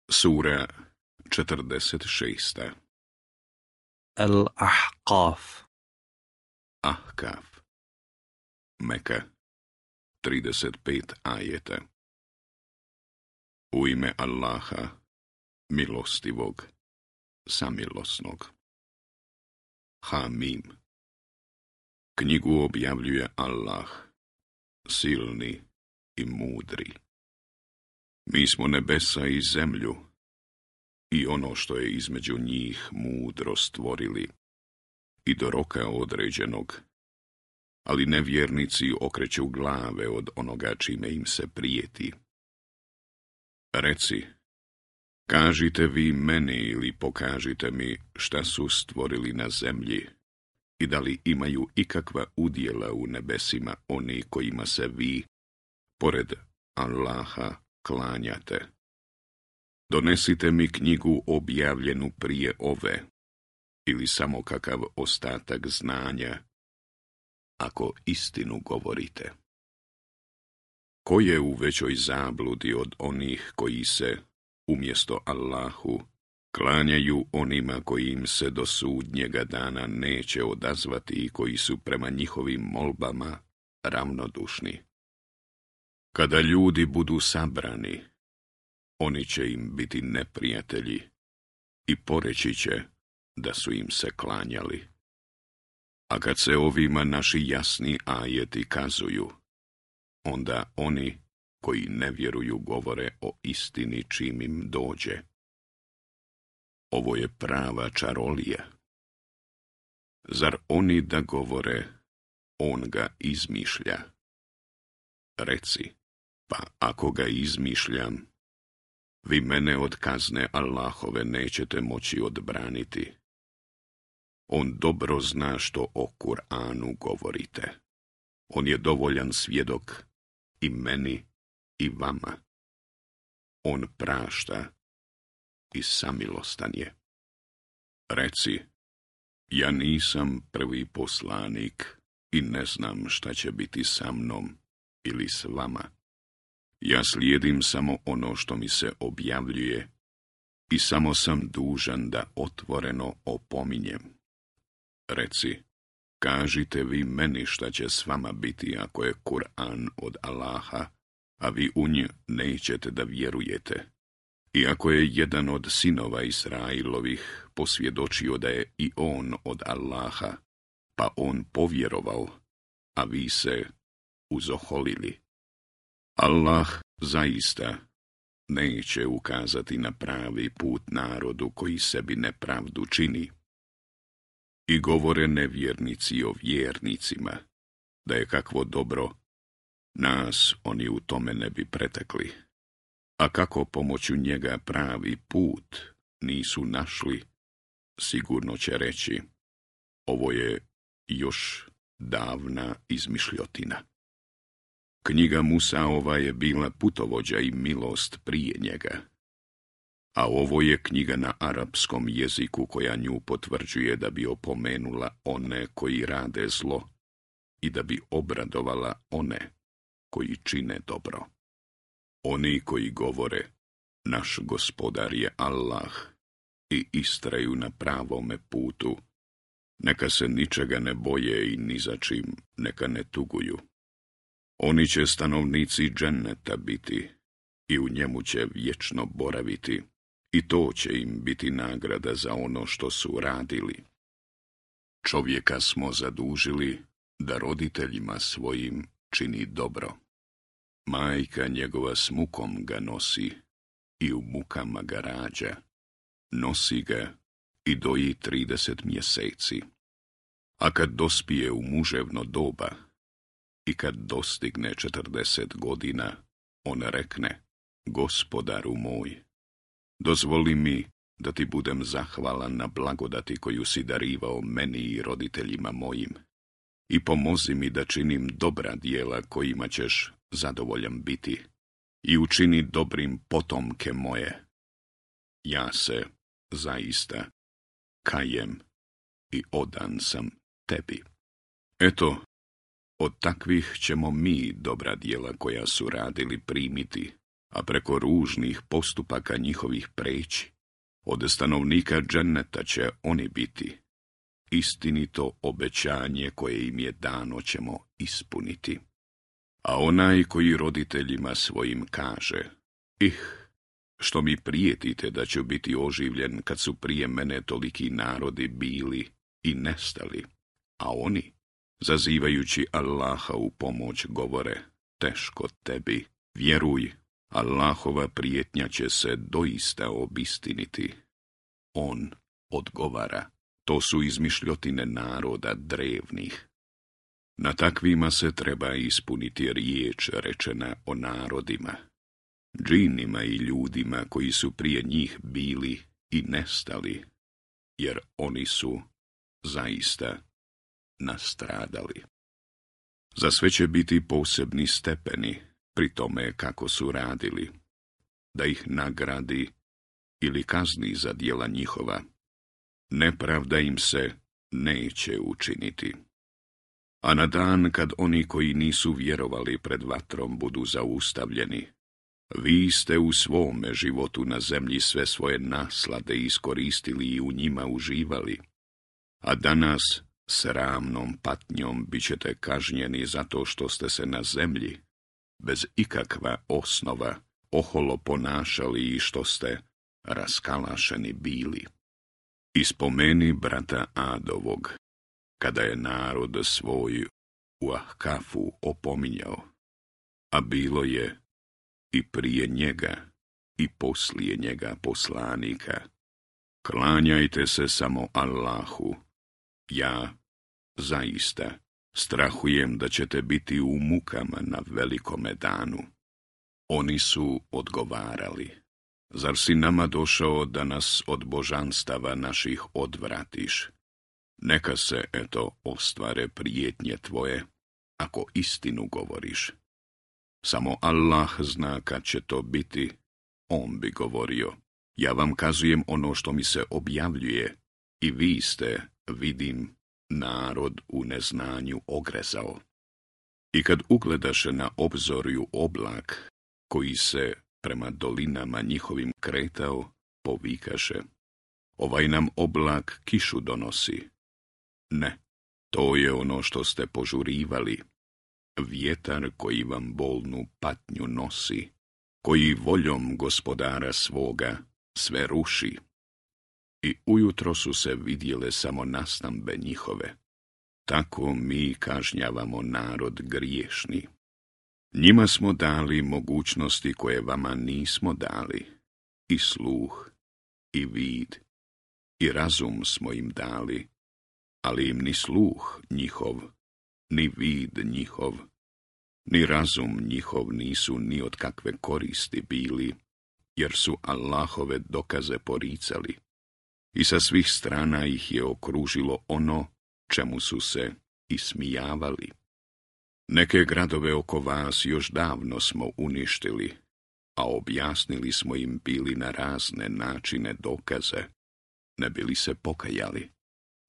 Sura 46. Al-Ahqaf. Ahkaf. Meka. 35 ajeta. U ime Allaha, milostivog, samilosnog. Hamim. Knjigu objavljuje Allah, silni i mudri. Mi smo nebesa i zemlju i ono što je između njih mudro stvorili i do roka određenog, ali nevjernici okreću glave od onoga čime im se prijeti. Reci, kažite vi meni ili pokažite mi šta su stvorili na zemlji i da li imaju ikakva udjela u nebesima oni kojima se vi, pored Allaha, klanjate. Donesite mi knjigu objavljenu prije ove, ili samo kakav ostatak znanja, ako istinu govorite. Ko je u većoj zabludi od onih koji se, umjesto Allahu, klanjaju onima koji im se do sudnjega dana neće odazvati i koji su prema njihovim molbama ravnodušni. Kada ljudi budu sabrani, oni će im biti neprijatelji i poreći će da su im se klanjali. A kad se ovima naši jasni ajeti kazuju, onda oni koji ne vjeruju govore o istini čim im dođe. Ovo je prava čarolija. Zar oni da govore, on ga izmišlja? Reci, pa ako ga izmišljam, vi mene od kazne Allahove nećete moći odbraniti. On dobro zna što o Kur'anu govorite. On je dovoljan svjedok i meni i vama. On prašta i samilostan je. Reci, ja nisam prvi poslanik i ne znam šta će biti sa mnom ili s vama. Ja slijedim samo ono što mi se objavljuje i samo sam dužan da otvoreno opominjem. Reci, kažite vi meni šta će s vama biti ako je Kur'an od Allaha, a vi u nj nećete da vjerujete. I ako je jedan od sinova Israilovih posvjedočio da je i on od Allaha, pa on povjerovao, a vi se uzoholili. Allah zaista neće ukazati na pravi put narodu koji sebi nepravdu čini. I govore nevjernici o vjernicima, da je kakvo dobro, nas oni u tome ne bi pretekli. A kako pomoću njega pravi put nisu našli, sigurno će reći, ovo je još davna izmišljotina. Knjiga Musaova je bila putovođa i milost prije njega, a ovo je knjiga na arapskom jeziku koja nju potvrđuje da bi opomenula one koji rade zlo i da bi obradovala one koji čine dobro. Oni koji govore, naš gospodar je Allah i istraju na pravome putu, neka se ničega ne boje i ni za čim neka ne tuguju. Oni će stanovnici dženneta biti i u njemu će vječno boraviti i to će im biti nagrada za ono što su radili. Čovjeka smo zadužili da roditeljima svojim čini dobro. Majka njegova s mukom ga nosi i u mukama ga rađa. Nosi ga i doji 30 mjeseci. A kad dospije u muževno doba i kad dostigne 40 godina, on rekne, Gospodaru moj, dozvoli mi da ti budem zahvalan na blagodati koju si darivao meni i roditeljima mojim i pomozi mi da činim dobra djela kojima ćeš zadovoljan biti i učini dobrim potomke moje. Ja se zaista kajem i odan sam tebi. Eto, od takvih ćemo mi dobra djela koja su radili primiti, a preko ružnih postupaka njihovih preći. Od stanovnika dženneta će oni biti. Istinito obećanje koje im je dano ćemo ispuniti. A onaj koji roditeljima svojim kaže: što mi prijetite da ću biti oživljen kad su prije mene toliki narodi bili i nestali, a oni, zazivajući Allaha u pomoć, govore: teško tebi, vjeruj, Allahova prijetnja će se doista obistiniti. On odgovara: to su izmišljotine naroda drevnih. Na takvima se treba ispuniti riječ rečena o narodima, džinima i ljudima koji su prije njih bili i nestali, jer oni su zaista nastradali. Za sve će biti posebni stepeni pri tome kako su radili, da ih nagradi ili kazni za djela njihova. Nepravda im se neće učiniti. A na dan kad oni koji nisu vjerovali pred vatrom budu zaustavljeni, vi ste u svome životu na zemlji sve svoje naslade iskoristili i u njima uživali, a danas sramnom patnjom bit ćete kažnjeni zato što ste se na zemlji, bez ikakva osnova, oholo ponašali i što ste raskalašeni bili. I spomeni brata Adovog, kada je narod svoj u Ahkafu opominjao, a bilo je i prije njega i poslije njega poslanika: klanjajte se samo Allahu, ja zaista strahujem da ćete biti u mukama na velikome danu. Oni su odgovarali: zar si nama došao da nas od božanstava naših odvratiš? Neka se, ostvare prijetnje tvoje, ako istinu govoriš. Samo Allah zna kad će to biti. On bi govorio: ja vam kazujem ono što mi se objavljuje, i vi ste, vidim, narod u neznanju ogrezao. I kad ugledaše na obzorju oblak, koji se prema dolinama njihovim kretao, povikaše: ovaj nam oblak kišu donosi. Ne, to je ono što ste požurivali, vjetar koji vam bolnu patnju nosi, koji voljom gospodara svoga sve ruši. I ujutro su se vidjele samo nastambe njihove. Tako mi kažnjavamo narod griješni. Njima smo dali mogućnosti koje vama nismo dali, i sluh, i vid, i razum smo im dali, ali im ni sluh njihov, ni vid njihov, ni razum njihov nisu ni od kakve koristi bili, jer su Allahove dokaze poricali, i sa svih strana ih je okružilo ono čemu su se ismijavali. Neke gradove oko vas još davno smo uništili, a objasnili smo im bili na razne načine dokaze, ne bili se pokajali.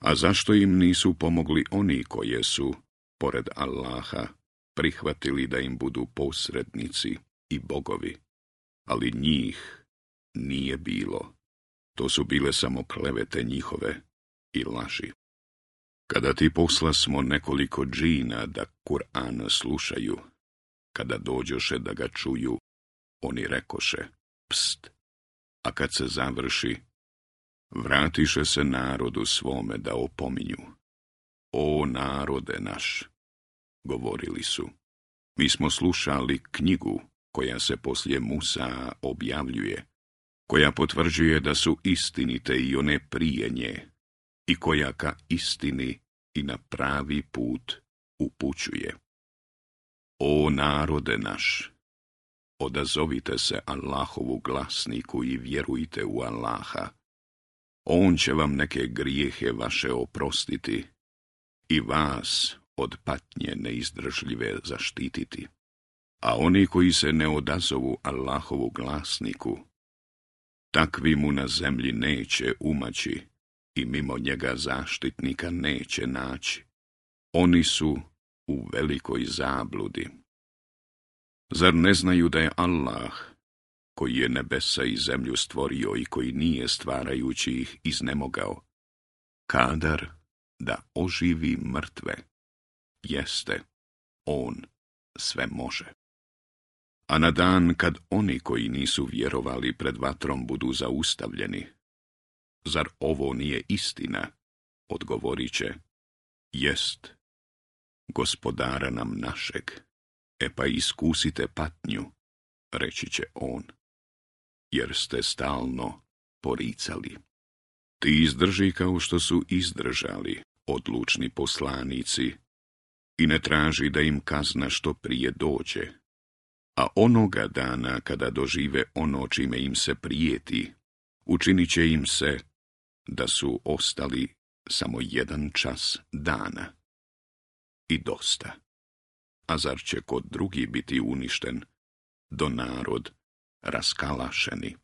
A zašto im nisu pomogli oni koje su, pored Allaha, prihvatili da im budu posrednici i bogovi? Ali njih nije bilo. To su bile samo klevete njihove i laži. Kada ti poslasmo nekoliko džina da Kur'an slušaju, kada dođoše da ga čuju, oni rekoše: pst, a kad se završi, vratiše se narodu svome da opominju. O narode naš, govorili su, mi smo slušali knjigu koja se poslije Musa objavljuje, koja potvrđuje da su istinite i one prije nje, i koja ka istini i na pravi put upućuje. O narode naš, odazovite se Allahovu glasniku i vjerujte u Allaha. On će vam neke grijehe vaše oprostiti i vas od patnje neizdržljive zaštititi. A oni koji se ne odazovu Allahovu glasniku, takvi mu na zemlji neće umaći i mimo njega zaštitnika neće naći. Oni su u velikoj zabludi. Zar ne znaju da je Allah koji je nebesa i zemlju stvorio i koji nije stvarajući ih iznemogao, kadar da oživi mrtve, jeste, on sve može. A na dan kad oni koji nisu vjerovali pred vatrom budu zaustavljeni, zar ovo nije istina? Odgovorit će, jest, Gospodara nam našeg, pa iskusite patnju, reći će on, jer ste stalno poricali. Ti izdrži kao što su izdržali odlučni poslanici i ne traži da im kazna što prije dođe, a onoga dana kada dožive ono čime im se prijeti, učinit će im se da su ostali samo 1 čas dana. I dosta. A zar će kod drugi biti uništen, do narod raskalašeni?